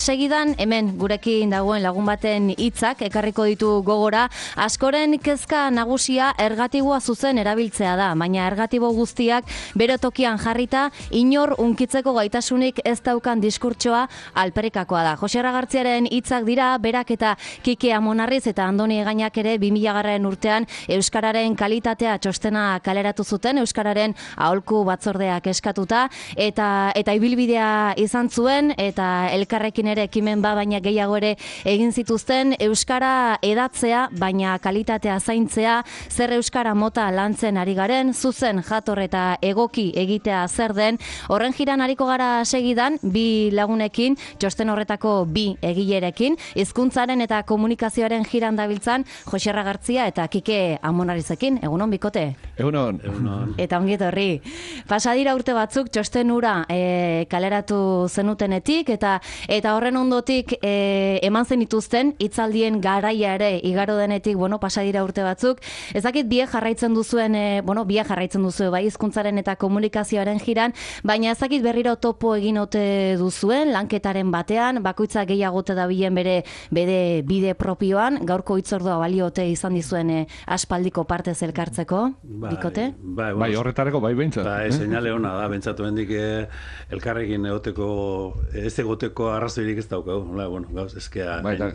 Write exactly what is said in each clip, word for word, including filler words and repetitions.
Segidan, hemen gurekin dagoen lagun baten hitzak ekarriko ditu gogora, askoren kezka nagusia ergatiboa zuzen erabiltzea da, baina ergatibo guztiak bere tokian jarrita, inor unkitzeko gaitasunik ez daukan diskurtsoa alperikakoa da. Jose Ragartziaren hitzak dira, berak eta Kike Amonarriz eta Andoni Egainak ere bi mila garren urtean Euskararen kalitatea txostena kaleratu zuten, Euskararen aholku batzordeak eskatuta, eta, eta ibilbidea izan zuen, eta elkarrekin ere ekimen ba, baina gehiago ere egin zituzten, euskara edatzea, baina kalitatea zaintzea, zer euskara mota lantzen ari garen, zuzen jator eta egoki egitea zer den, horren jiran ariko gara segidan, bi lagunekin, txosten horretako bi egilerekin, hizkuntzaren eta komunikazioaren jiran dabiltzan, Jose Ragartzia eta Kike Amonarrizekin, egunon bikote? Egunon. Egunon. Eta ongi etorri. Pasadira urte batzuk txosten hura e, kaleratu zenutenetik, eta eta horren ondotik e, eman zen dituzten, hitzaldien garaia ere igaro denetik, bueno, pasadira urte batzuk. Ez dakit biek jarraitzen duzuen, e, bueno, biek jarraitzen duzue, bai, hizkuntzaren eta komunikazioaren jiran, baina ez dakit berriro topo egin ote duzuen, lanketaren batean, bakoitza gehiagote dabilen bere, bere bide propioan, gaurko hitzordua baliote izan dizuen e, aspaldiko partez elkartzeko, bai, bikote? Bai, bai, horretareko bai behintzat. Bai, eh? Seinale hona da, bentsatu hendik eh, elkarrekin egoteko, ez egoteko arrazoirik ez daukagu, hola, bueno, gauz, ezkea... Bai, da,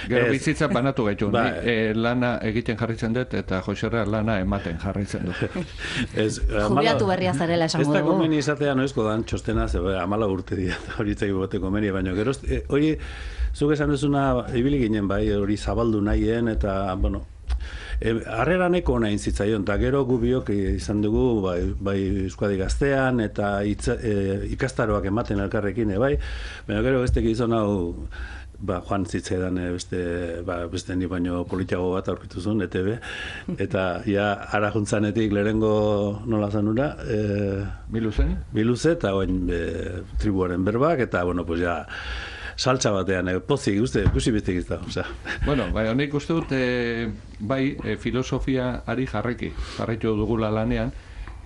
gero ez, bizitza banatu gaitu, bai, ni eh, lana egiten jarraitzen dut, eta Joserra lana ematen jarraitzen dut. Jubilatu berria zarela esango dugu. Ez da komeni izatea noizko dan txostena, ze amala urte dira, hori itzai bote komeni, baina gero, eh, hori, zuk esan duzuna, ibili ginen bai, hori zabaldu nahien, eta, bueno, harrera neko nahin zitzaion, eta gero gubiok izan dugu bai, bai Euskadi Gaztean eta itza, e, ikastaroak ematen elkarrekin, bai, baina gero bestek izan hau ba, joan zitzaidan beste, ba, beste ni baino politiago bat aurkitu zuen, E T B, eta ja ara juntzanetik lehenengo nola zanura, e, Biluzen? Biluze, eta oin e, tribuaren berbak, eta bueno, pues ja, saltza batean, eh, pozik, uste, ikusi bestik ez da, osea. Bueno, bai, honik uste dut, e, bai, e, filosofia ari jarreki, jarraitu dugula lanean,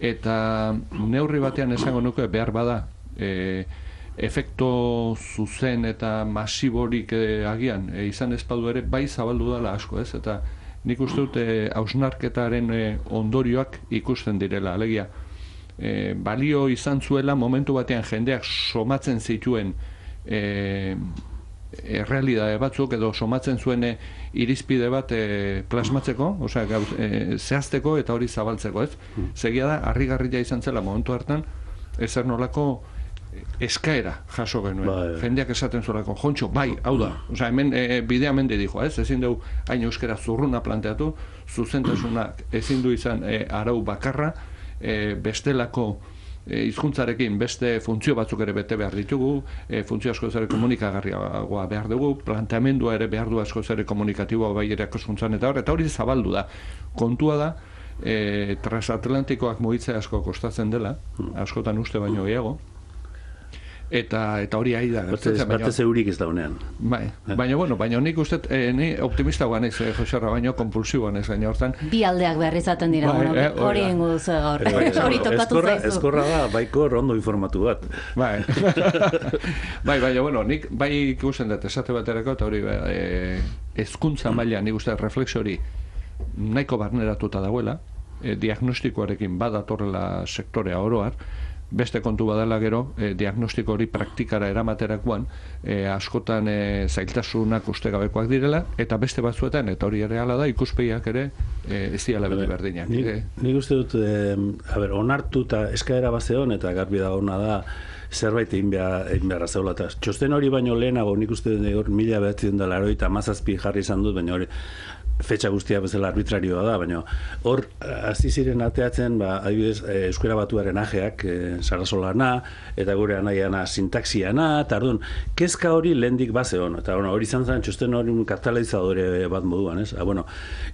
eta neurri batean esango nuke behar bada, e, efekto zuzen eta masiborik e, agian, e, izan ezpadu ere, bai zabaldu dela asko, ez? Eta nik uste dut, e, hausnarketaren e, ondorioak ikusten direla, alegia. E, balio izan zuela momentu batean jendeak somatzen zituen E, errealidade batzuk edo somatzen zuen e, irizpide bat e, plasmatzeko, osea, gauz, e, zehazteko eta hori zabaltzeko, ez? Segia da, harrigarria izan zela momentu hartan, ezer nolako eskaera jaso genuen. Ba, e. Jendeak esaten zuelako, jontxo, bai, hau da. Osea, hemen e, bidea mende dijo, ez? Ezin dugu hain euskera zurruna planteatu, zuzentasunak ezin du izan e, arau bakarra, e, bestelako hizkuntzarekin beste funtzio batzuk ere bete behar ditugu, e, funtzio asko zere komunikagarriagoa behar dugu, planteamendua ere behar du asko zere komunikatiboa bai erakoskuntzan eta hor, eta hori zabaldu da. Kontua da, e, transatlantikoak mugitzea asko kostatzen dela, askotan uste baino gehiago, eta eta hori ari da. Batez eurik ez da honean. Bai, baina, bueno, baina nik uste, eh, ni optimista guan ez, eh, Joserra, baina kompulsiboan ez gaina hortan. Bi aldeak behar izaten dira, bai, bueno, eh, hori ingo duzu gaur. Hori tokatu zaizu. Eskorra da, baikor ondo informatu bat. Bai, bai, baina, bueno, nik bai ikusten dut esate baterako, eta hori eh, hezkuntza maila nik uste reflexio hori nahiko barneratuta dagoela, eh, diagnostikoarekin badatorrela sektorea oroar, beste kontu badala gero, eh, diagnostiko hori praktikara eramaterakoan, eh, askotan eh, zailtasunak ustegabekoak direla, eta beste batzuetan, eta hori ere hala da, ikuspegiak ere eh, ez diala beti berdinak. Nik, eh. nik uste dut, eh, a ber, onartu eta eskaera bazeon, eta garbi da ona da, zerbait egin behar, egin beharra zegoela. Txosten hori baino lehenago, nik uste dut hor mila behatzen dela eroita mazazpi jarri izan dut, baina hori fetxa guztia bezala arbitrarioa da, baina hor hasi ziren ateatzen, ba, adibidez, e, euskera batuaren ajeak, e, Sarasolana, eta gure anaiana sintaxiana, eta orduan, kezka hori lehendik bazeon, eta bueno, hori izan zen txosten hori un katalizadore bat moduan, ez? Ah, bueno,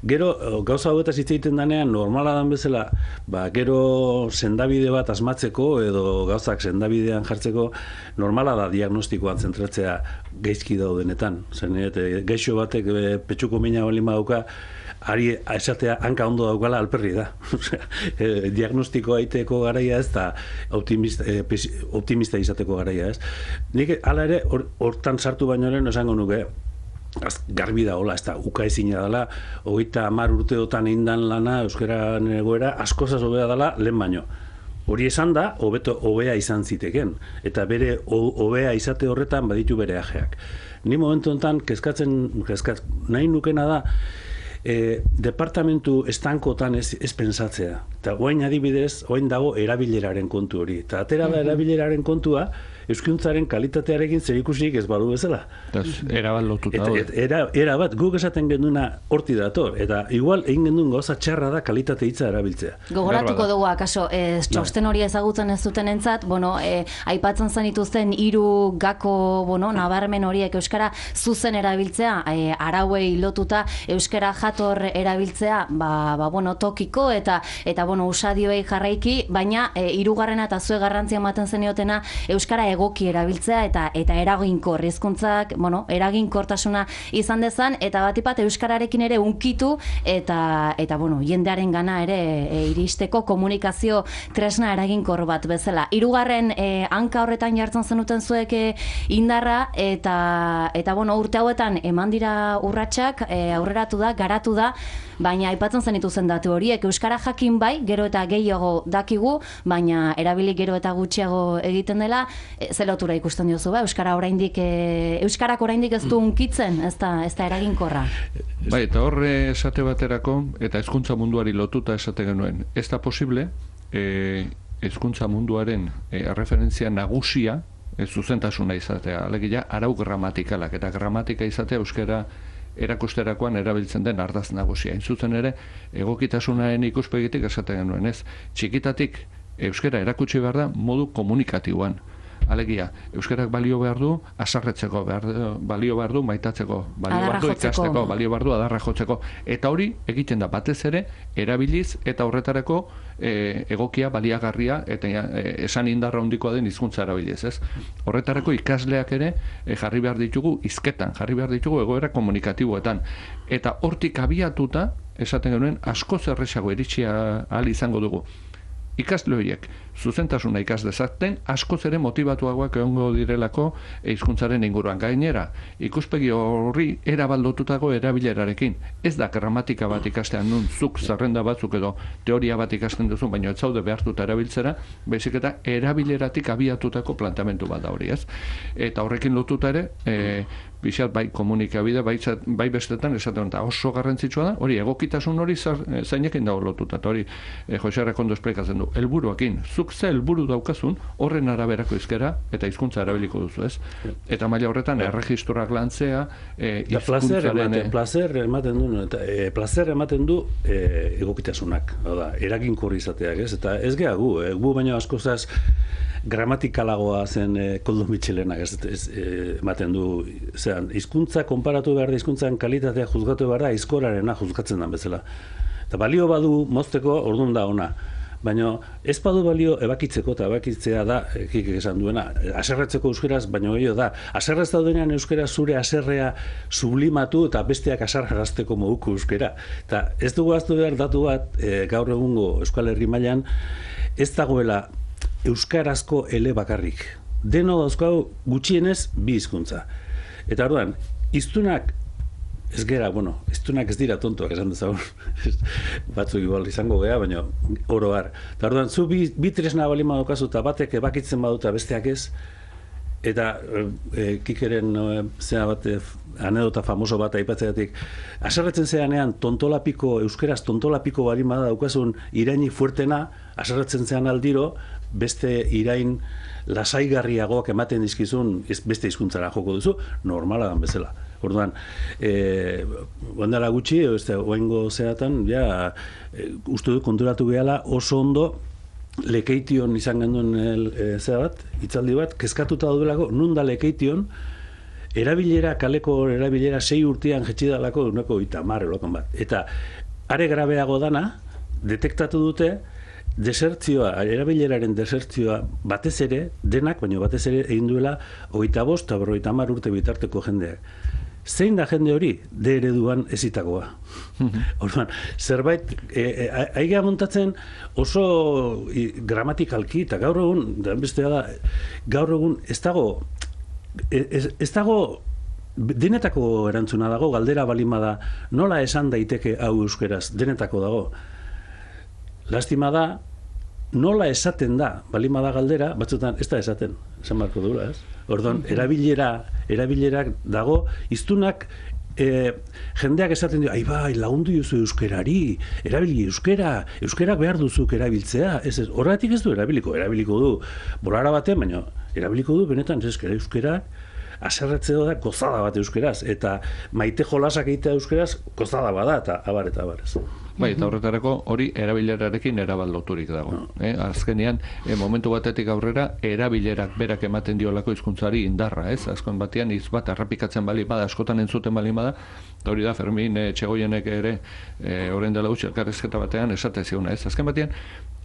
gero, gauza hauetaz hitz egiten danean, normala dan bezala, ba, gero sendabide bat asmatzeko, edo gauzak sendabidean jartzeko, normala da diagnostikoan zentratzea gaizki daudenetan. Zer nire, gaixo batek e, petxuko mina bali dauka, ari esatea hanka ondo daukala alperri da. e, diagnostiko aiteko garaia ez, eta optimista, e, optimista izateko garaia ez. Nik hala ere, hortan or, sartu baino lehen esango nuke, Az, garbi da, hola, ez da, uka ezina dela, hogeita hamar urteotan indan lana, euskara egoera, askozaz hobea dela, lehen baino. Hori esan da, hobeto hobea izan ziteken, eta bere hobea izate horretan baditu bere ajeak. Ni momentu honetan, kezkatzen, kezkat, nahi nukena da, e, departamentu estankotan ez, ez pensatzea. Eta oain adibidez, oain dago erabileraren kontu hori. Eta atera da erabileraren kontua, euskuntzaren kalitatearekin zerikusirik ez badu bezala. Era bat lotuta. Era, era bat, guk esaten genduna horti dator, eta igual egin gendun gauza txarra da kalitate hitza erabiltzea. Gogoratuko dugu, akaso, ez, txosten hori ezagutzen ez duten entzat, bueno, e, aipatzen zenituzten hiru gako, bueno, nabarmen horiek euskara zuzen erabiltzea, e, arauei lotuta euskara jator erabiltzea, ba, ba bueno, tokiko eta eta bueno, usadioei jarraiki, baina e, hirugarrena eta zue garrantzia ematen zeniotena euskara egoki erabiltzea eta eta eraginkor hizkuntzak, bueno, eraginkortasuna izan dezan eta batipat euskararekin ere unkitu eta eta bueno, jendearen gana ere e, iristeko komunikazio tresna eraginkor bat bezala. Hirugarren e, hanka horretan jartzen zenuten zuek e, indarra eta eta bueno, urte hauetan eman dira urratsak, e, aurreratu da, garatu da, baina aipatzen zenituzen datu horiek euskara jakin bai, gero eta gehiago dakigu, baina erabili gero eta gutxiago egiten dela. E, ze lotura ikusten diozu, ba? Euskara oraindik e, euskarak oraindik ez du unkitzen, ez da, ez da eraginkorra. Bai, eta horre esate baterako eta hezkuntza munduari lotuta esate genuen. Ez da posible e, hezkuntza munduaren e, referentzia nagusia e, zuzentasuna izatea. Alegia arau gramatikalak eta gramatika izatea euskara erakusterakoan erabiltzen den ardaz nagusia. Hain zuzen ere, egokitasunaren ikuspegitik esaten genuen, ez? Txikitatik euskara erakutsi behar da modu komunikatiboan. Alegia, euskarak balio behar du, asarretzeko, behar, balio behar du, maitatzeko, balio behar du, ikasteko, balio behar du, adarra jotzeko. Eta hori egiten da batez ere, erabiliz eta horretarako e, egokia, baliagarria, eta e, esan indarra handikoa den hizkuntza erabiliz, ez? Horretarako ikasleak ere e, jarri behar ditugu hizketan, jarri behar ditugu egoera komunikatiboetan. Eta hortik abiatuta, esaten genuen, asko zerrexago iritsia ahal izango dugu. Ikasle horiek zuzentasuna ikas dezaten, askoz ere motivatuagoak egongo direlako hizkuntzaren inguruan. Gainera, ikuspegi horri erabaldotutako erabilerarekin. Ez da gramatika bat ikastean nun zuk zerrenda batzuk edo teoria bat ikasten duzu, baina ez zaude behartuta erabiltzera, baizik eta erabileratik abiatutako planteamendu bat da hori, ez? Eta horrekin lotuta ere, e, bizat bai komunikabide, bai, bai bestetan esaten da oso garrantzitsua da, hori egokitasun hori zeinekin dago lotuta, eta hori e, Jose Arrekondo esplikatzen du, helburuakin, zuk ze helburu daukazun, horren araberako hizkera eta hizkuntza erabiliko duzu, ez? Eta maila horretan, erregistroak lantzea, e, hizkuntzaren... E... Placer ematen du, eta, e, placer ematen du e, egokitasunak, da, eraginkor izateak, ez? Eta ez geha gu, e, gu baino askozaz gramatikalagoa zen e, Koldo Mitxelenak, ez, ez e, ematen du, zean, hizkuntza konparatu behar da, hizkuntzan kalitatea juzgatu behar da, aizkorarena juzgatzen den bezala. Eta balio badu mozteko, orduan da ona. Baina ez badu balio ebakitzeko, eta ebakitzea da, ekik esan duena, aserretzeko euskeraz, baina gehiago da. Aserrez daudenean euskera zure aserrea sublimatu eta besteak asarrazteko moduko euskera. Eta ez dugu aztu behar datu bat, e, gaur egungo Euskal Herri mailan, ez dagoela euskarazko ele bakarrik. Deno dauzkau gutxienez bi hizkuntza. Eta orduan, hiztunak ez gera, bueno, hiztunak ez dira tontoak esan dezagun. Batzuk igual izango gea, baina oro har. Eta orduan, zu bi, bi tresna balima daukazu eta batek ebakitzen baduta besteak ez, eta e, kikeren e, zera bat, e, anedota famoso bat aipatzeatik, aserretzen zeanean tontolapiko, euskeraz tontolapiko balima daukazun iraini fuertena, aserretzen zean aldiro, beste irain lasaigarriagoak ematen dizkizun beste hizkuntzara joko duzu, normala dan bezala. Orduan, e, ondara gutxi, oengo zeratan, ja, e, uste dut konturatu gehala oso ondo Lekeition izan genduen e, zera bat, hitzaldi bat, kezkatuta daudelako, nun da Lekeition, erabilera, kaleko erabilera sei urtean jetxidalako duneko itamar elokan bat. Eta are grabeago dana, detektatu dute, desertzioa, erabileraren desertzioa batez ere, denak, baina batez ere egin duela hogeita bost eta berrogeita hamar urte bitarteko jendeak. Zein da jende hori? De ereduan ezitakoa. Orduan, zerbait, aiga montatzen oso gramatikalki, eta gaur egun, da bestea da, gaur egun ez dago, ez, ez dago, denetako erantzuna dago, galdera balima da, nola esan daiteke hau euskeraz, denetako dago. Lastima da, nola esaten da, balima da galdera, batzutan ez da esaten, esan barko dura, ez? Orduan, erabilera, erabilerak dago, iztunak, e, jendeak esaten dio, ai bai, lagundu duzu euskerari, erabili euskera, euskarak behar duzuk erabiltzea, ez ez, horregatik ez du erabiliko, erabiliko du, bolara batean, baina erabiliko du, benetan, ez euskera, euskarak, aserretzeo da, gozada bat euskeraz, eta maite jolasak egitea euskeraz, gozada bada, eta abar eta abar ez. Bai, eta horretarako hori erabilerarekin erabaldoturik dago. No. Eh? Azkenean, eh, momentu batetik aurrera, erabilerak berak ematen diolako hizkuntzari indarra, ez? Azken batean, hitz bat errepikatzen bali bada, askotan entzuten bali bada, eta hori da, Fermin eh, Txegoienek ere, eh, orain dela utzi elkarrizketa batean, esate ziona, ez? Azken batean,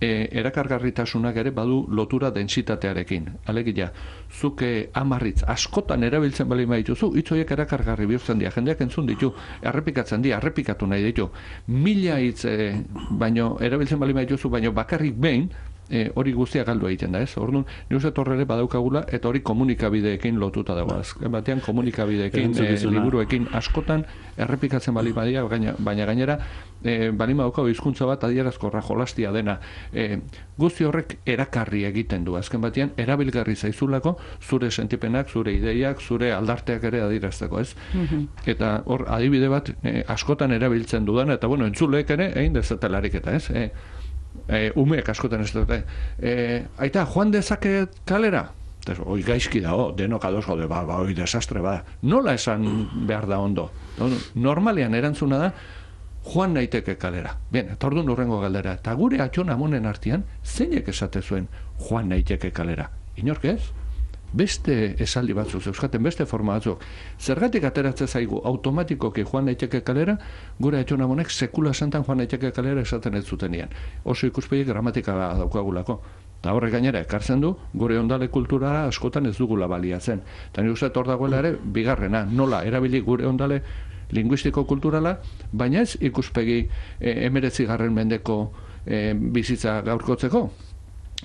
eh, erakargarritasunak ere badu lotura dentsitatearekin. Alegia, zuke amarritz askotan erabiltzen bali badituzu, hitz horiek erakargarri bihurtzen dira, jendeak entzun ditu, errepikatzen dira, errepikatu nahi ditu, mila hitz, eh, baino erabiltzen bali badituzu, baino bakarrik behin, E, hori guztia galdu egiten da, ez? Orduan, ni uste torre ere badaukagula, eta hori komunikabideekin lotuta dago. Azken batean komunikabideekin, e, liburuekin askotan errepikatzen bali badia, baina, baina gainera e, bali badaukago hizkuntza bat adierazkorra jolastia dena. E, guzti horrek erakarri egiten du. Azken batean, erabilgarri zaizulako zure sentipenak, zure ideiak, zure aldarteak ere adierazteko, ez? Mm-hmm. Eta hor, adibide bat e, askotan erabiltzen dudan, eta bueno, entzuleek ere egin dezatelarik eta, ez? E, E, umeek askotan ez dute. E, aita, joan dezaket kalera? Oi, gaizki dago, denok ados gaude, ba, ba, oi, desastre, ba. Nola esan behar da ondo? Normalean erantzuna da, joan naiteke kalera. Bien, eta orduan urrengo galdera. Eta gure atxon amonen artean, zeinek esate zuen joan naiteke kalera? Inork ez? Beste esaldi batzuk, euskaten beste forma batzuk. Zergatik ateratzen zaigu automatikoki joan naiteke kalera, gure atxon amonek sekula santan joan naiteke kalera esaten ez zutenean. Oso ikuspegi gramatikala daukagulako. Eta horrek gainera ekartzen du, gure ondale kulturara askotan ez dugula baliatzen. Eta ni uste hor dagoela ere, bigarrena, nola erabili gure ondale linguistiko kulturala, baina ez ikuspegi e, emeretzi garren mendeko e, bizitza gaurkotzeko.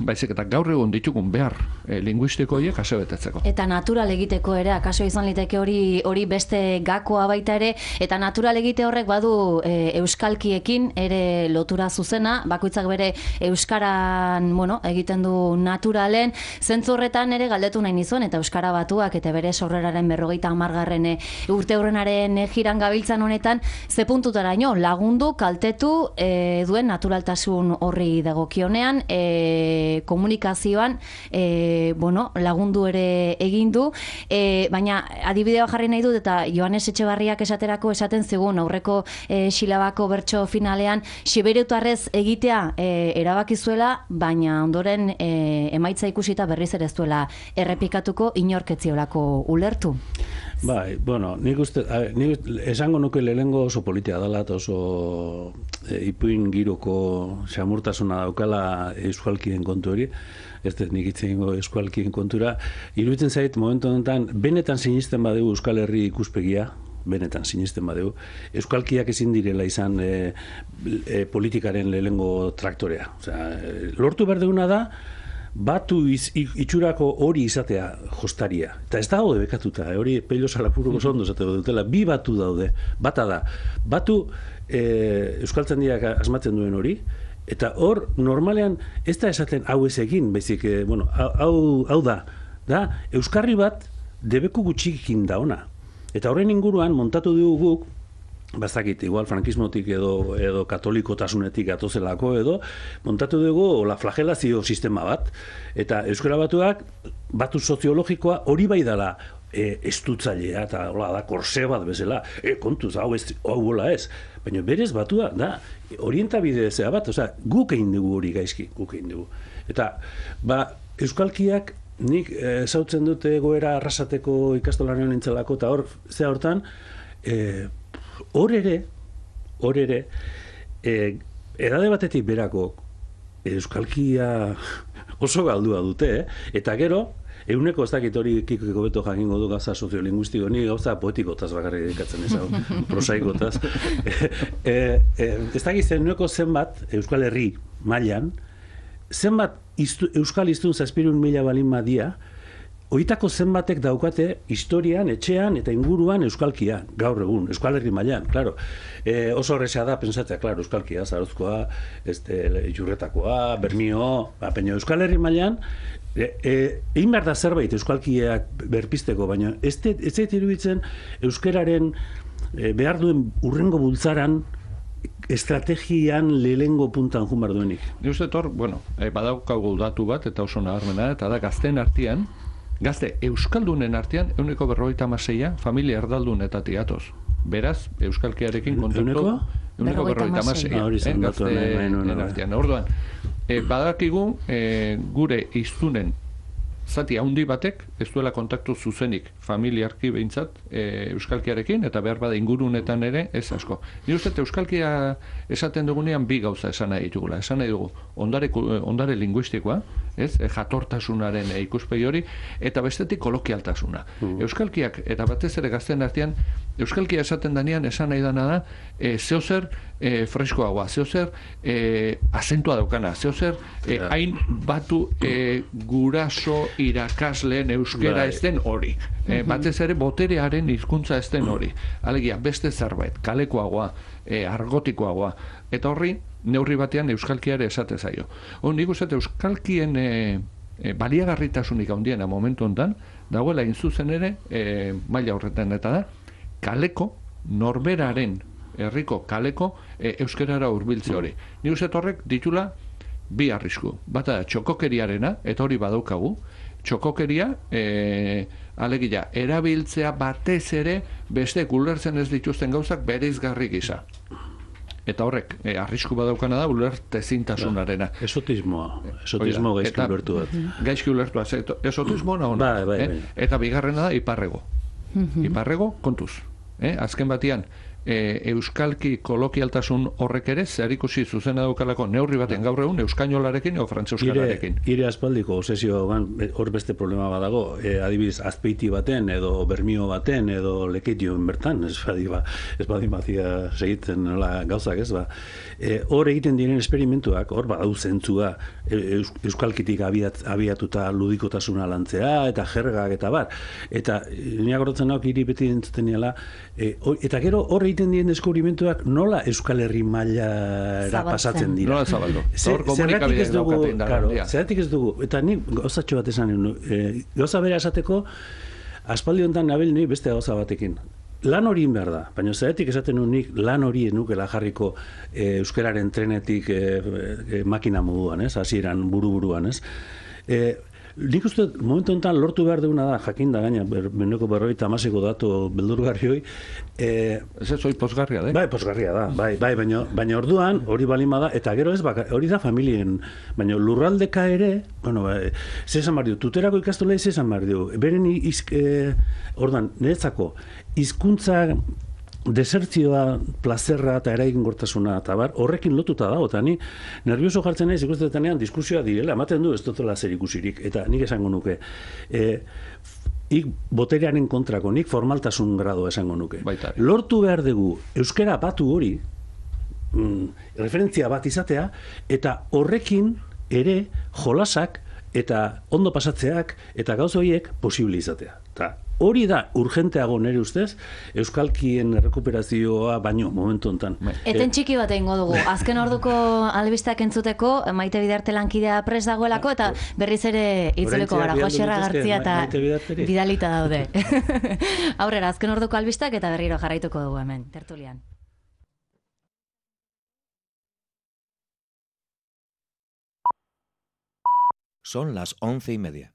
Baizik eta gaur egun ditugun behar e, linguistiko horiek asebetetzeko. Eta natural egiteko ere, akaso izan liteke hori hori beste gakoa baita ere, eta natural egite horrek badu e, euskalkiekin ere lotura zuzena, bakoitzak bere euskaran, bueno, egiten du naturalen, zentzu horretan ere galdetu nahi nizuen, eta euskara batuak eta bere sorreraren berrogeita hamargarren urte hurrenaren e, jiran gabiltzan honetan, ze puntutaraino lagundu, kaltetu e, duen naturaltasun horri dagokionean, e, komunikazioan e, bueno, lagundu ere egin du, e, baina adibidea jarri nahi dut, eta Joanes Etxebarriak esaterako esaten zigun aurreko e, silabako bertso finalean sibereutarrez egitea e, erabakizuela, baina ondoren e, emaitza ikusita berriz ere ez duela errepikatuko, inorketziolako ulertu. Bai, bueno, nik uste, a, nik esango nuke lehengo oso politia dela, eta oso e, ipuin giroko xamurtasuna daukala euskalkien kontu hori, ez dut nik itzengo euskalkien kontura, iruditzen zait, momentu honetan, benetan sinisten badegu Euskal Herri ikuspegia, benetan sinisten badegu, euskalkiak ezin direla izan e, e, politikaren lehengo traktorea. Osea, lortu behar duguna da, batu iz, itxurako hori izatea jostaria. Eta ez dago bekatuta, hori Pello Salapuruko zondo zateko dutela, bi batu daude. Bata da, batu e, euskaltzaindiak asmatzen duen hori, eta hor normalean ez da esaten hau ez egin, baizik, e, bueno, hau, hau da, da, euskarri bat debeku gutxikin da ona. Eta horren inguruan montatu dugu guk, bazakit, igual frankismotik edo, edo katolikodasunetik atozelako edo, montatu dugu la flagelazio sistema bat, eta euskara batuak batu soziologikoa hori bai dela e, estutzailea, eta hola da, korse bat bezala, e, kontuz, hau ez, hau hola ez, baina berez batua da, orientabide zea bat, osea, guk egin dugu hori gaizki, guk egin dugu. Eta, ba, euskalkiak nik ezautzen dute egoera arrasateko ikastolaren nintzelako, eta hor, zea hortan, e, hor ere, hor ere, e, edade batetik berako, euskalkia oso galdua dute, eh? Eta gero, euneko ez dakit hori kikiko beto jakingo du gauza soziolinguistiko, ni gauza poetikotaz bakarrik dedikatzen ez hau, prosaikotaz. e, e, ez dakit zeneko zenbat Euskal Herri mailan, zenbat iztu, Euskal Hiztun zazpirun mila balin madia, Oitako zenbatek daukate historian, etxean eta inguruan euskalkia, gaur egun, Euskal Herri mailan, claro. E, oso horreza da, pensatzea, claro, euskalkia, zarozkoa, este, Jurretakoa, Bermio, ba, peño, Euskal Herri mailan, e, e, egin behar da zerbait euskalkiak berpisteko, baina ez zait iruditzen euskararen e, behar duen urrengo bultzaran estrategian lehengo puntan jun behar duenik. Ni uste tor, bueno, e, badaukagu datu bat, eta oso nabarmena, eta da gazten artean, Gazte, euskaldunen artean, euneko berrogeita hamaseia familia erdaldunetatik atoz. Beraz, euskalkiarekin kontaktu... Euneko berrogeita hamaseia. Gazteen artean. Orduan, e, badakigu e, gure hiztunen zati haundi batek, ez duela kontaktu zuzenik familiarki behintzat e, euskalkiarekin, eta behar bada ingurunetan ere, ez asko. Ni uste, euskalkia esaten dugunean bi gauza esan nahi ditugula. Esan nahi dugu, ondare, ondare linguistikoa, ez, e, jatortasunaren e, ikuspegi hori, eta bestetik kolokialtasuna. Mm. Euskalkiak, eta batez ere gazten artean, euskalkia esaten danean, esan nahi dana da, e, zeozer e, freskoagoa, zeozer e, azentua daukana, zeozer e, yeah. hain batu e, guraso irakasleen euskera ez den hori. E, batez ere boterearen hizkuntza ez den hori. Alegia, beste zerbait, kalekoagoa, e, argotikoagoa. Eta horri, neurri batean euskalkiare esate zaio. Hor, nik uste euskalkien e, e, baliagarritasunik handiena momentu honetan, dagoela inzuzen ere, e, maila horretan eta da, kaleko, norberaren, herriko kaleko, e, euskerara hurbiltze hori. Nik uste horrek ditula bi arrisku. Bata da, txokokeriarena, eta hori badaukagu, txokokeria, e, alegia, erabiltzea batez ere beste ulertzen ez dituzten gauzak bereizgarri gisa. Eta horrek, e, arrisku badaukana da ulertezintasunarena. Esotismoa, esotismo gaizki ulertu bat. Gaizki ulertu bat, esotismoa nahi. Bai, bai, bai. Eta bigarrena da iparrego. Iparrego, kontuz. Eh? Azken batian, e, euskalki kolokialtasun horrek ere, zerikusi zuzena daukalako neurri baten gaur egun euskainolarekin o frantzeuskararekin. Ire, ire aspaldiko obsesio hor beste problema badago, e, adibidez azpeiti baten edo bermio baten edo leketioen bertan, ez badi ba, ez badi bazia segitzen nola gauzak, ez ba. E, hor egiten diren esperimentuak, hor badau zentzua eus, euskalkitik abiat, abiatuta ludikotasuna lantzea eta jergak eta bar. Eta niak horretzen nauk hiri beti entzuten niala, e, eta gero hor egiten dien deskubrimentuak nola Euskal Herri mailara pasatzen dira. Nola zabaldu. Zergatik ez dugu, claro, zergatik ez dugu, eta ni gauzatxo bat esan, e, gauza bera esateko, aspaldi honetan nabil ni beste gauza batekin. Lan hori behar da, baina zergatik esaten nik lan hori nukela jarriko e, euskararen trenetik e, e, makina moduan, ez, hasieran buru-buruan, ez. E, Nik uste, momentu honetan lortu behar duguna da, jakin da gaina, beneko berroita amaseko datu beldurgarri hoi. E, ez ez hori posgarria da? Bai, posgarria da, bai, bai, baina, baina orduan hori balima da, eta gero ez, baka, hori da familien, baina lurraldeka ere, bueno, bai, zezan behar du, tuterako ikastola zezan behar du, beren izk, e, orduan, niretzako, hizkuntza desertzioa, plazerra eta eraginkortasuna eta bar, horrekin lotuta dago, eta ni nervioso jartzen naiz ikustetenean diskusioa direla, ematen du ez dutela zer ikusirik, eta nik esango nuke, e, ik boterearen kontrako, nik formaltasun grado esango nuke. Baitari. Lortu behar dugu euskera batu hori, mm, referentzia bat izatea, eta horrekin ere jolasak eta ondo pasatzeak eta gauz horiek posible izatea. Ta, hori da urgenteago nire ustez, euskalkien rekuperazioa baino momentu honetan. Eten txiki bat egingo dugu. Azken orduko albistak entzuteko, Maite Bidarte lankidea prest dagoelako, eta berriz ere itzuliko gara, Joserra Gartzia eta bidalita daude. Aurrera, azken orduko albistak eta berriro jarraituko dugu hemen, tertulian. Son las once y media.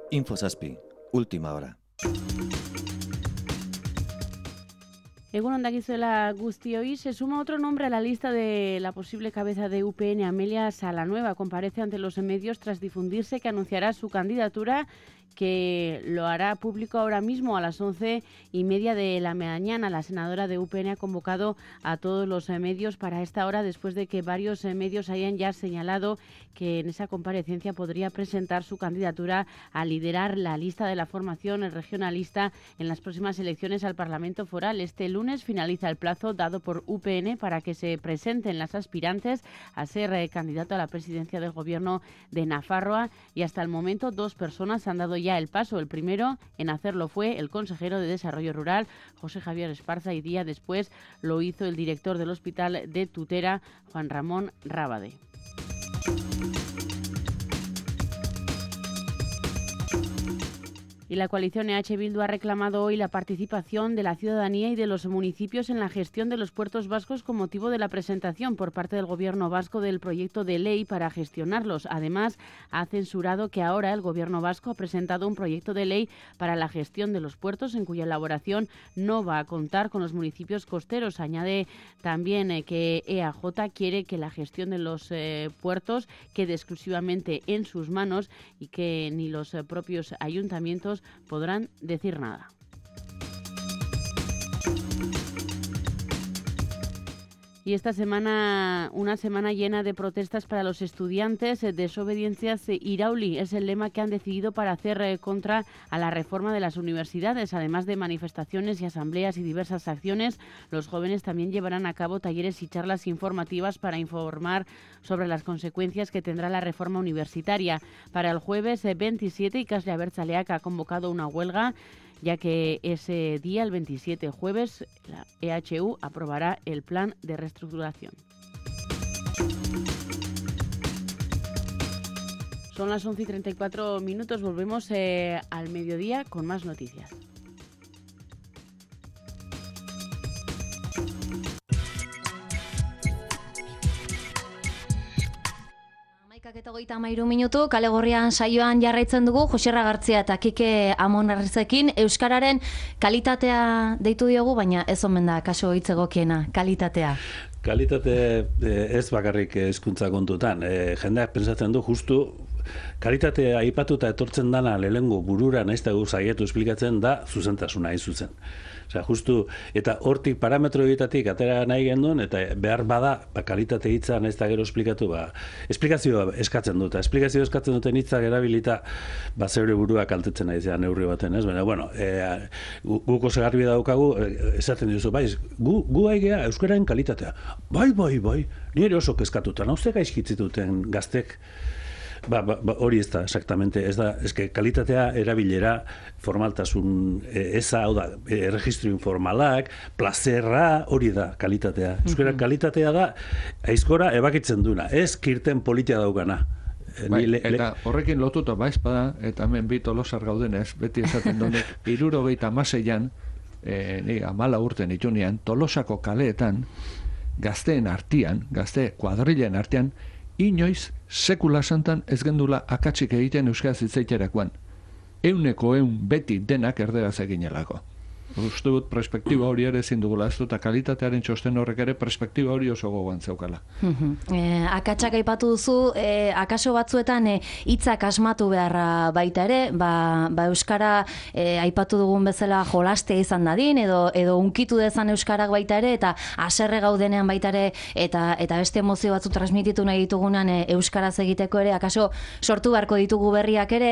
Infosaspi, última hora. Egun ondakizuela guztioi, se suma otro nombre a la lista de la posible cabeza de U P N, Amelia Salanueva. Comparece ante los medios tras difundirse que anunciará su candidatura que lo hará público ahora mismo a las once y media de la mañana. La senadora de U P N ha convocado a todos los eh, medios para esta hora, después de que varios eh, medios hayan ya señalado que en esa comparecencia podría presentar su candidatura a liderar la lista de la formación regionalista en las próximas elecciones al Parlamento Foral. Este lunes finaliza el plazo dado por U P N para que se presenten las aspirantes a ser eh, candidato a la presidencia del Gobierno de Nafarroa, y hasta el momento dos personas han dado ya el paso. El primero en hacerlo fue el consejero de Desarrollo Rural, José Javier Esparza, y día después lo hizo el director del Hospital de Tutera, Juan Ramón Rábade. Y la coalición E H Bildu ha reclamado hoy la participación de la ciudadanía y de los municipios en la gestión de los puertos vascos con motivo de la presentación por parte del Gobierno vasco del proyecto de ley para gestionarlos. Además, ha censurado que ahora el Gobierno vasco ha presentado un proyecto de ley para la gestión de los puertos, en cuya elaboración no va a contar con los municipios costeros. Añade también eh, que E A J quiere que la gestión de los eh, puertos quede exclusivamente en sus manos y que ni los eh, propios ayuntamientos podrán decir nada. Y esta semana, una semana llena de protestas para los estudiantes. Desobediencias Irauli es el lema que han decidido para hacer contra a la reforma de las universidades. Además de manifestaciones y asambleas y diversas acciones, los jóvenes también llevarán a cabo talleres y charlas informativas para informar sobre las consecuencias que tendrá la reforma universitaria. Para el jueves veintisiete, Ikasle Abertzaleak ha convocado una huelga, ya que ese día, el veintisiete, jueves, la E H U aprobará el plan de reestructuración. Son las once y treinta y cuatro minutos, volvemos eh, al mediodía con más noticias. Eta hogeita hamairu minutu, Kale Gorrian saioan jarraitzen dugu, Joserra Gartzia eta Kike Amonarrizekin. Euskararen kalitatea deitu diogu, baina ez omen da kaso hitz egokiena, kalitatea. Kalitate ez bakarrik hezkuntza kontutan. E, jendeak pentsatzen du justu kalitatea aipatuta etortzen dana lehengo burura naiz eta gu saiatu esplikatzen da zuzentasuna hain zuzen. Osea, justu, eta hortik parametro horietatik atera nahi genduen, eta behar bada, ba, kalitate hitza naiz eta gero esplikatu, ba, esplikazioa eskatzen dut, esplikazioa eskatzen duten hitzak erabilita, ba, zeure burua kaltetzen nahi zean neurri baten, ez? Baina, bueno, e, guk oso garbi daukagu, esaten duzu, bai, gu, gu haigea euskaraen kalitatea. Bai, bai, bai, nire oso kezkatuta, nauzte gaizkitzituten gaztek. Ba, ba, ba, hori ez da, exactamente, ez da, eske kalitatea erabilera, formaltasun eza, hau da, e, registro informalak, plazerra, hori da kalitatea. Euskara mm-hmm. kalitatea da, aizkora ebakitzen duna, ez kirten politia daukana. Bai, le, eta horrekin lotuta baiz bada, eta hemen bi tolosar gaudenez, beti esaten dune, hirurogeita hamaseian, e, ni amala urten itunean, Tolosako kaleetan, gazteen artean, gazte kuadrilen artean, inoiz sekula santan ez gendula akatsik egiten euskaraz hitzaiterakoan. Euneko eun beti denak erderaz eginelako. Uste dut perspektiba hori ere ezin dugula, ez dut, eta kalitatearen txosten horrek ere perspektiba hori oso gogoan zeukala. e, akatsak aipatu duzu, e, akaso batzuetan hitzak e, asmatu beharra baita ere, ba, ba euskara e, aipatu dugun bezala jolastea izan dadin, edo edo unkitu dezan euskarak baita ere, eta haserre gaudenean baita ere, eta eta beste emozio batzu transmititu nahi ditugunan e, euskaraz egiteko ere, akaso sortu beharko ditugu berriak ere,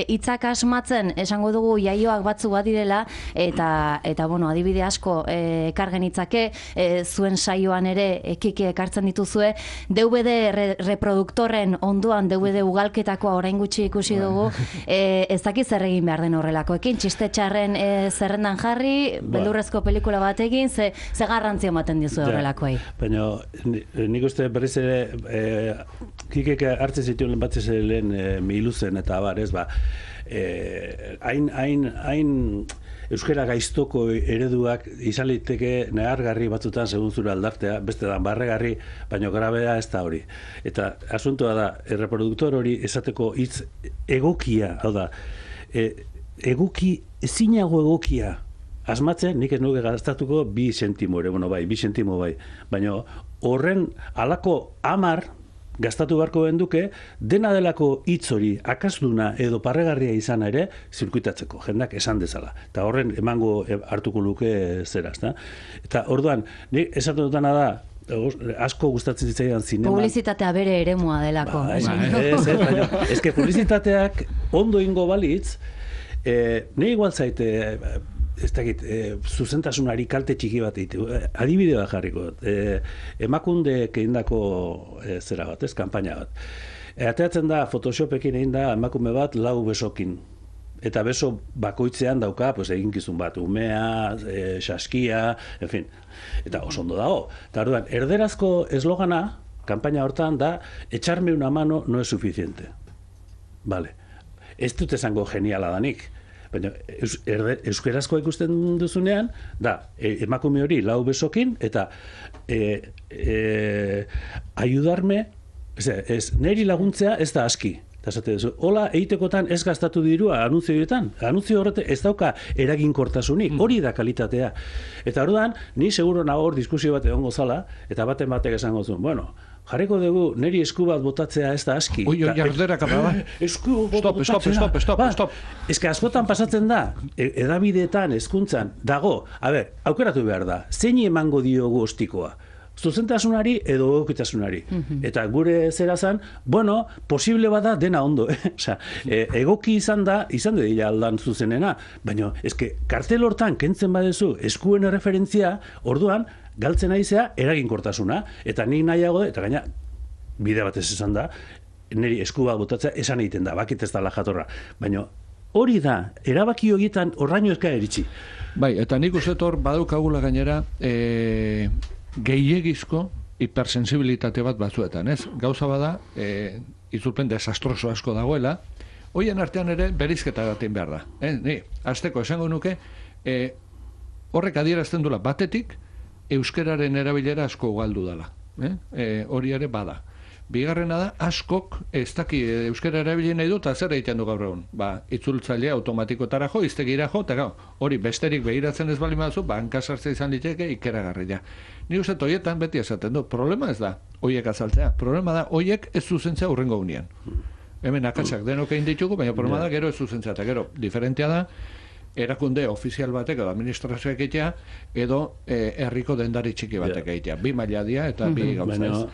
hitzak e, asmatzen esango dugu jaioak batzu badirela, eta eta bueno, adibide asko ekar eh, genitzake, eh, zuen saioan ere ekike ekartzen dituzue, D V D re, reproduktorren onduan D V D ugalketakoa orain gutxi ikusi dugu, eh, ez dakiz zer egin behar den horrelakoekin, txiste txarren eh, zerrendan jarri, ba. Beldurrezko pelikula bat egin, ze, ze garrantzia ematen dizu horrelakoei. Baina nik uste berriz ere eh, kikek hartzen zituen batzez lehen eh, miluzen eta abar, ez ba, eh, hain, hain, hain euskara gaiztoko ereduak izan liteke nehargarri batzutan segun zure aldartea, beste da barregarri, baino grabea ez da hori. Eta asuntoa da, erreproduktor hori esateko hitz egokia, hau da, e, egoki, ezinago egokia, asmatzen, nik ez nuke gastatuko bi sentimo ere, bueno bai, bi sentimo bai, baino horren alako amar, gastatu beharko benduke, dena delako hitz hori akasduna edo parregarria izan ere, zirkuitatzeko, jendak esan dezala. Eta horren emango hartuko luke zera, ezta? Eta orduan, nik esatu dutana da, asko gustatzen zitzaidan zinema. Publizitatea bere eremua delako. Ba, ez, ez, ez, baina, ez que publizitateak ondo ingo balitz, eh, ne igual zaite, ez dakit, eh, zuzentasunari kalte txiki bat ditu. Eh, adibide bat jarriko. Eh, emakunde keindako eh, zera bat, ez, kanpaina bat. Eh, ateatzen da, Photoshopekin egin da emakume bat lau besokin. Eta beso bakoitzean dauka, pues, eginkizun bat, umea, e, saskia, en fin. Eta oso ondo dago. Eta orduan, erderazko eslogana, kanpaina hortan da, echarme una mano no es suficiente. Vale. Ez dut esango geniala danik. Baina, eus, erde, euskerazkoa ikusten duzunean, da, e, emakume hori lau besokin, eta e, e, ayudarme, ez, ez, neri laguntzea ez da aski. Eta esate duzu, hola egitekotan ez gastatu dirua anuntzioetan. Anuntzio horrete ez dauka eraginkortasunik, hori da kalitatea. Eta orduan, ni seguro nago hor diskusio bat egongo zala, eta baten batek esango zuen, bueno, jarriko dugu neri esku bat botatzea ez da aski. Ui, oi, jardera kapa, ba? Esku Stop, stop, stop, stop, stop. Ez que askotan pasatzen da, edabideetan, hezkuntzan dago, a ber, aukeratu behar da, zein emango diogu ostikoa? Zuzentasunari edo egokitasunari. Mm-hmm. Eta gure zera zan, bueno, posible bada dena ondo. Eh? Osa, e, egoki izan da, izan da dira aldan zuzenena, baina eske kartel hortan kentzen badezu eskuen referentzia, orduan, galtzen aizea eraginkortasuna. Eta nik nahiago, eta gaina, bide batez esan da, niri esku bat botatzea esan egiten da, bakit ez da la jatorra. Baina hori da, erabaki horietan horraino ezka eritzi. Bai, eta nik uste hor badukagula gainera, e... gehiegizko hipersensibilitate bat batzuetan, ez? Gauza bada, e, itzulpen desastroso asko dagoela, hoien artean ere berizketa batein behar da. Eh? Ni, azteko esango nuke, e, horrek adierazten dula batetik, euskeraren erabilera asko galdu dela. Eh? E, hori ere bada. Bigarrena da, askok ez daki euskara erabili nahi dut, zer egiten du gaur egun. Ba, itzultzailea automatikotara jo, iztegira jo, eta gau, hori besterik begiratzen ez bali mazu, ba, hankasartze izan liteke ikeragarria. Ni uste horietan beti esaten du, problema ez da, hoiek azaltzea, problema da, hoiek ez zuzentzea urrengo unean. Hemen akatsak denok egin ditugu, baina problema da, gero ez zuzentzea, eta gero, diferentea da, erakunde ofizial batek edo administrazioak egitea, edo eh, herriko dendari txiki batek egitea. Bi maila dia eta bi gauza.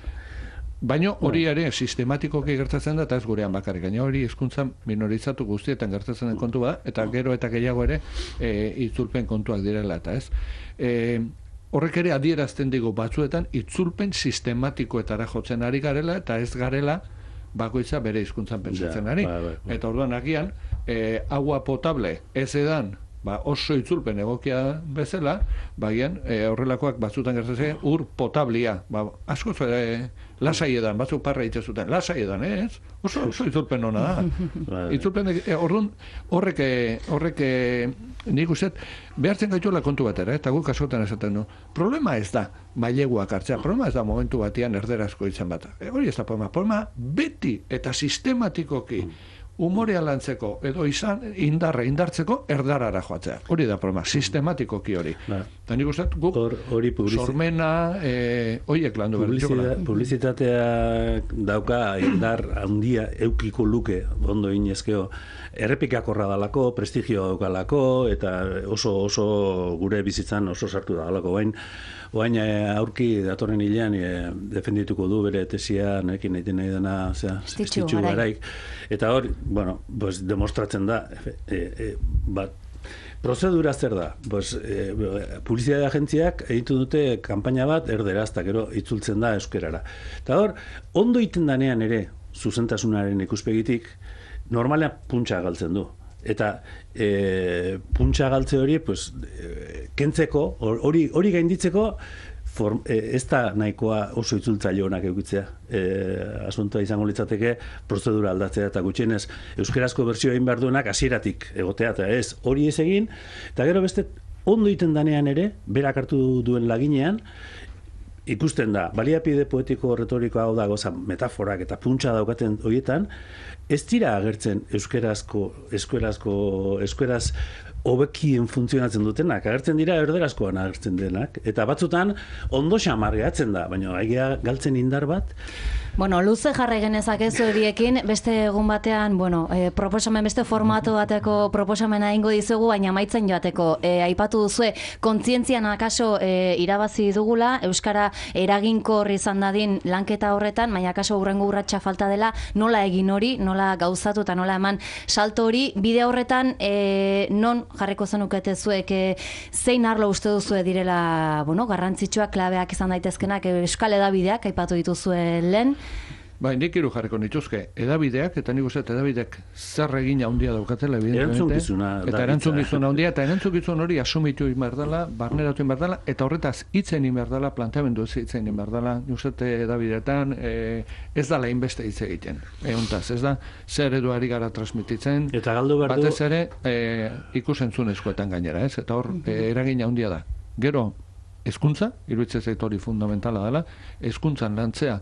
Baina hori ere sistematikoki gertatzen da, eta ez gurean bakarrik, gaina hori hizkuntzan minorizatu guztietan gertatzen den kontu da, eta gero eta gehiago ere e, itzulpen kontuak direla, eta ez. E, horrek ere adierazten digu batzuetan itzulpen sistematikoetara jotzen ari garela, eta ez garela bakoitza bere hizkuntzan pentsatzen ari. Eta orduan agian, e, agua potable ez edan, ba, oso itzulpen egokia bezala, bagian e, horrelakoak batzutan gertatzen ur potablia, ba, asko e, lasai edan, batzuk parra hitz zuten, lasai edan, ez? Oso, oso itzulpen hona da. Itzulpen, e, orduan, horrek, horrek nik uste, behartzen gaituela kontu batera, eta guk askotan esaten du. Problema ez da maileguak hartzea, problema ez da momentu batean erderazko izan bat. E, hori ez da problema, problema beti eta sistematikoki umorea lantzeko edo izan indarra indartzeko erdarara joatzea. Hori da problema, sistematikoki hori. Eta nik uste, guk hori sormena, e, horiek landu behar. Publizitatea dauka indar handia eukiko luke, ondo inezkeo, errepikakorra dalako, prestigio daukalako, eta oso oso gure bizitzan oso sartu dalako. Bain, Oain aurki datorren hilean e, defendituko du bere tesia, nekin egiten nahi dena, Stitxu Garaik. Eta hor, bueno, pues, demostratzen da, e, e, bat, prozedura zer da? Pues, e, publizitate agentziak egitu dute kanpaina bat erderaz, eta gero itzultzen da euskerara. Eta hor, ondo iten danean ere, zuzentasunaren ikuspegitik, normalean puntxa galtzen du. Eta e, puntxa galtze hori, pues, e, kentzeko, hori hori gainditzeko, form, e, ez da nahikoa oso itzultzaile honak eukitzea. E, asuntoa izango litzateke prozedura aldatzea, eta gutxienez euskerazko bertsio egin behar duenak hasieratik egotea, eta ez hori ez egin, eta gero beste ondo iten danean ere, berak hartu duen laginean, ikusten da, baliapide poetiko retoriko hau da goza metaforak eta puntxa daukaten horietan, ez dira agertzen euskerazko, eskuerazko, eskueraz hobekien funtzionatzen dutenak, agertzen dira erderazkoan agertzen denak, eta batzutan ondo xamar gehatzen da, baina egia galtzen indar bat. Bueno, luze jarrai genezakezu ediekin, beste egun batean, bueno, e, proposamen beste formatu bateko proposamena ingo dizugu, baina maitzen joateko. E, aipatu duzue, kontzientzian akaso e, irabazi dugula, Euskara eraginkor izan dadin lanketa horretan, baina akaso hurrengo urratsa falta dela, nola egin hori, nola gauzatu eta nola eman salto hori, bide horretan, e, non jarriko zenukete zuek, e, zein arlo uste duzue direla, bueno, garrantzitsuak, klabeak izan daitezkenak, Euskal Edabideak, aipatu dituzue lehen. Bai, nik hiru jarriko nituzke, edabideak, eta nik uste edabideak zer egin handia daukatela, evidentemente. Erantzukizuna. Eta erantzukizuna handia, eta erantzukizun hori asumitu inberdala, barneratu inberdala, eta horretaz hitzen inberdala, planteamendu ez hitzen inberdala, nik uste edabideetan e, ez dala inbeste hitz egiten. Eguntaz, ez da, zer eduari gara transmititzen, eta galdu behar du... batez ere e, ikusentzunezkoetan gainera, ez? Eta hor, e, eragin handia da. Gero, hezkuntza, iruditzen zait hori fundamentala dela, hezkuntzan lantzea,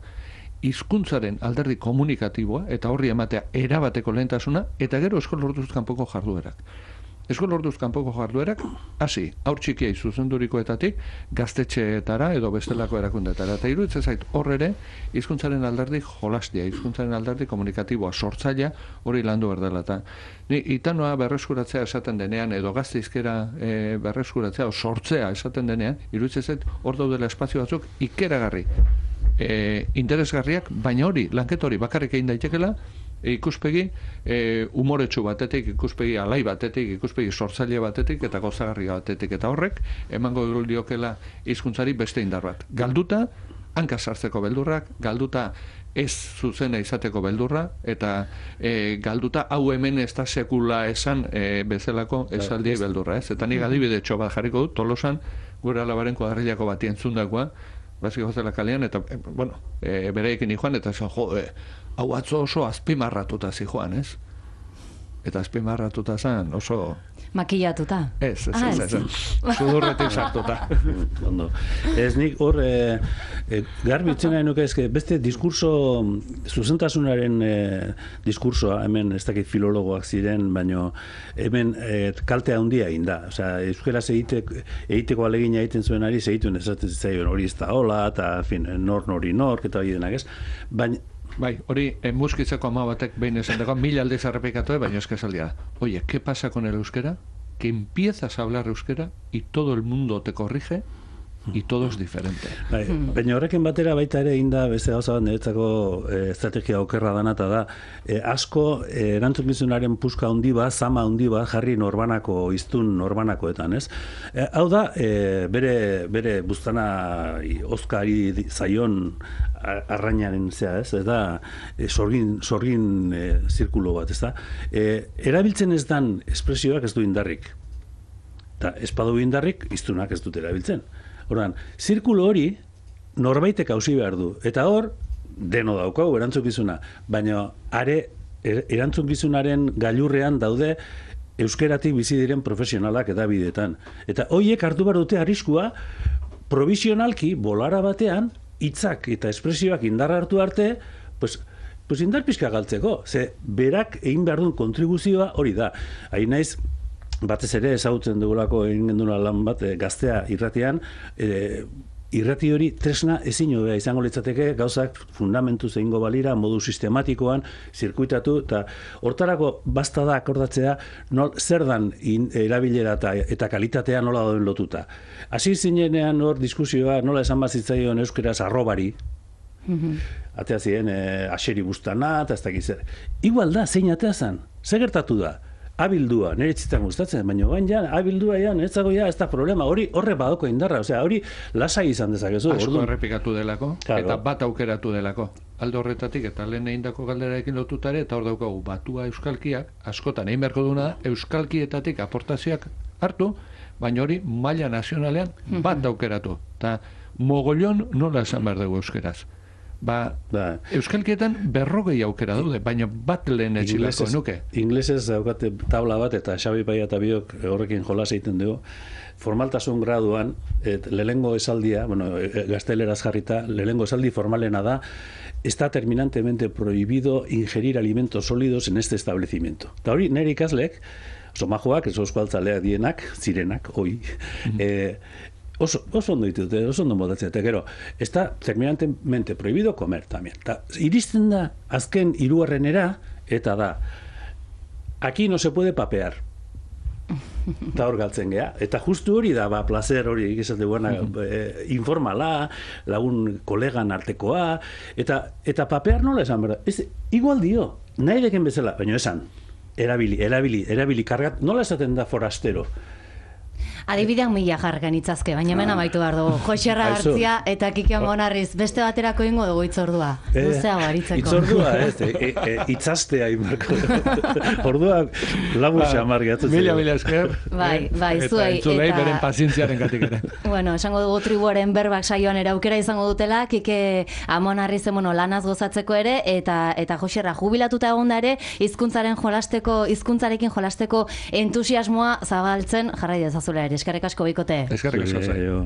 hizkuntzaren alderdi komunikatiboa eta horri ematea erabateko lehentasuna, eta gero eskola orduz kanpoko jarduerak. Eskola orduz kanpoko jarduerak, hasi, haur txikiei zuzendurikoetatik, gaztetxeetara edo bestelako erakundeetara. Eta iruditzen zait hor ere, hizkuntzaren alderdi jolastia, hizkuntzaren alderdi komunikatiboa, sortzailea hori landu berdela. Eta ni itanoa berreskuratzea esaten denean, edo gazteizkera e, berreskuratzea, o sortzea esaten denean, iruditzen zait hor daudela espazio batzuk ikeragarri. E, interesgarriak, baina hori, lanketa hori bakarrik egin daitekela, e, ikuspegi e, umoretsu batetik, ikuspegi alai batetik, ikuspegi sortzaile batetik eta gozagarria batetik, eta horrek emango diokela hizkuntzari beste indar bat. Galduta, hanka sartzeko beldurrak, galduta ez zuzena izateko beldurra, eta e, galduta hau hemen ez da sekula esan e, bezalako esaldiei beldurra, ez? Eta nik adibide txo bat jarriko dut, Tolosan, gure alabaren kuadrillako bat entzundakoa, basiko zela kalean, eta, e, bueno, e, bereikin joan, eta esan, jo, e, hau atzo oso azpimarratuta zijoan, ez? Eta azpimarratuta zen oso... Makillatuta. Ez, ez, ez, ez, ez. Sudurretik sartuta. Ondo. Ez nik hor, e, e, garbitzen nahi nuke ezke, beste diskurso, zuzentasunaren e, diskursoa, hemen ez dakit filologoak ziren, baino hemen e, kaltea handia egin da. Osea, euskaraz egiteko, egiteko alegina egiten zuen ari, segituen esaten zitzaion hori ez da hola, eta, fin, nor nori nork, eta hori denak ez. Baina, bai, hori eh, muskitzeko ama batek behin esan dago, mil aldiz errepikatu, baina eskasaldia. Oye, ¿qué pasa con el euskera? Que empiezas a hablar euskera y todo el mundo te corrige y todo es diferente. Bai, baina horrekin batera baita ere inda beste gauza bat niretzako e, estrategia okerra danata da. E, asko e, erantzukizunaren puska handi bat, zama handi bat jarri norbanako, hiztun norbanakoetan, ez? E, hau da, e, bere, bere buztana Oskari zaion arrainaren zea, ez? Ez da, e, sorgin, sorgin e, zirkulo bat, ez da? E, erabiltzen ez dan espresioak ez du indarrik. Eta espadu indarrik, hiztunak ez dut erabiltzen. Orduan, zirkulo hori norbaitek hausi behar du. Eta hor, deno daukau erantzukizuna. Baina, are, erantzukizunaren gailurrean daude euskeratik bizi diren profesionalak edabideetan. Eta hoiek hartu behar dute arriskua, provisionalki, bolara batean, hitzak eta espresioak indarra hartu arte, pues, pues indar pixka galtzeko. Ze, berak egin behar duen kontribuzioa hori da. Hain naiz, batez ere ezagutzen dugulako egin genduna lan bat e, gaztea irratian, e, irrati hori tresna ezin hobea izango litzateke gauzak fundamentu zeingo balira, modu sistematikoan, zirkuitatu, eta hortarako basta da akordatzea nol, zer dan in, erabilera eta, eta kalitatea nola dauden lotuta. Hasi zinenean hor diskusioa nola esan bazitzaion euskeraz arrobari, mm-hmm. atea ziren e, aseri bustana, eta ez dakiz zer. Igual da, zein atea zan, zer gertatu da? Abildua, nire txitan gustatzen, baina gain ja, abildua ja, niretzago ja, ez da problema, hori horre badoko indarra, osea, hori lasai izan dezakezu. Asko orduan. errepikatu delako, Claro. eta bat aukeratu delako. Alde horretatik, eta lehen egindako galderarekin lotutare, eta hor daukagu, batua euskalkiak, askotan egin beharko duna, euskalkietatik aportazioak hartu, baina hori maila nazionalean bat aukeratu. Eta mogollon nola esan behar dugu euskeraz. Ba, Da. euskalkietan berrogei aukera daude, baina bat lehen etxilako nuke. Inglesez daukate tabla bat, eta Xabi Paia eta biok horrekin jolas egiten dugu, formaltasun graduan, et, lehengo esaldia, bueno, gazteleraz jarrita, lehengo esaldi formalena da, está terminantemente prohibido ingerir alimentos sólidos en este establecimiento. Eta hori, nire ikaslek, somajoak, ez eusko altzaleak dienak, zirenak, oi, eh, Oso, oso ondo ditut, oso ondo modatzen, eta gero, está terminantemente prohibido comer también. Ta, iristen da, azken hirugarrenera, eta da, aquí no se puede papear. Eta hor galtzen geha. Eta justu hori da, ba, placer hori, egizat duena, eh, informala, lagun kolegan artekoa, eta, eta papear nola esan, berda? Ez, igual dio, nahi deken bezala, baina esan, erabili, erabili, erabili, kargat, nola esaten da forastero? Adibidean mila jargan itzazke, baina hemen amaitu behar dugu. Joxerra Aizu. Gartzia eta Kiki Amonarriz, beste baterako ingo dugu itzordua. Eh, Luzea baritzeko. Itzordua, ez, e, e, e, itzastea inbarko. Ordua lagun xamar gehatzen. Mila, mila esker. Bai, bai, Eta zuei, entzulei eta- beren pazientziaren gatik ere. Bueno, esango dugu tribuaren berbak saioan ere aukera izango dutela, Kike Amonarriz bueno, lanaz gozatzeko ere, eta eta Joxerra jubilatuta egonda ere, hizkuntzaren jolasteko, hizkuntzarekin jolasteko entusiasmoa zabaltzen jarrai dezazula ere. Eskerrik asko bikote. Eskerrik asko. Zure, jo.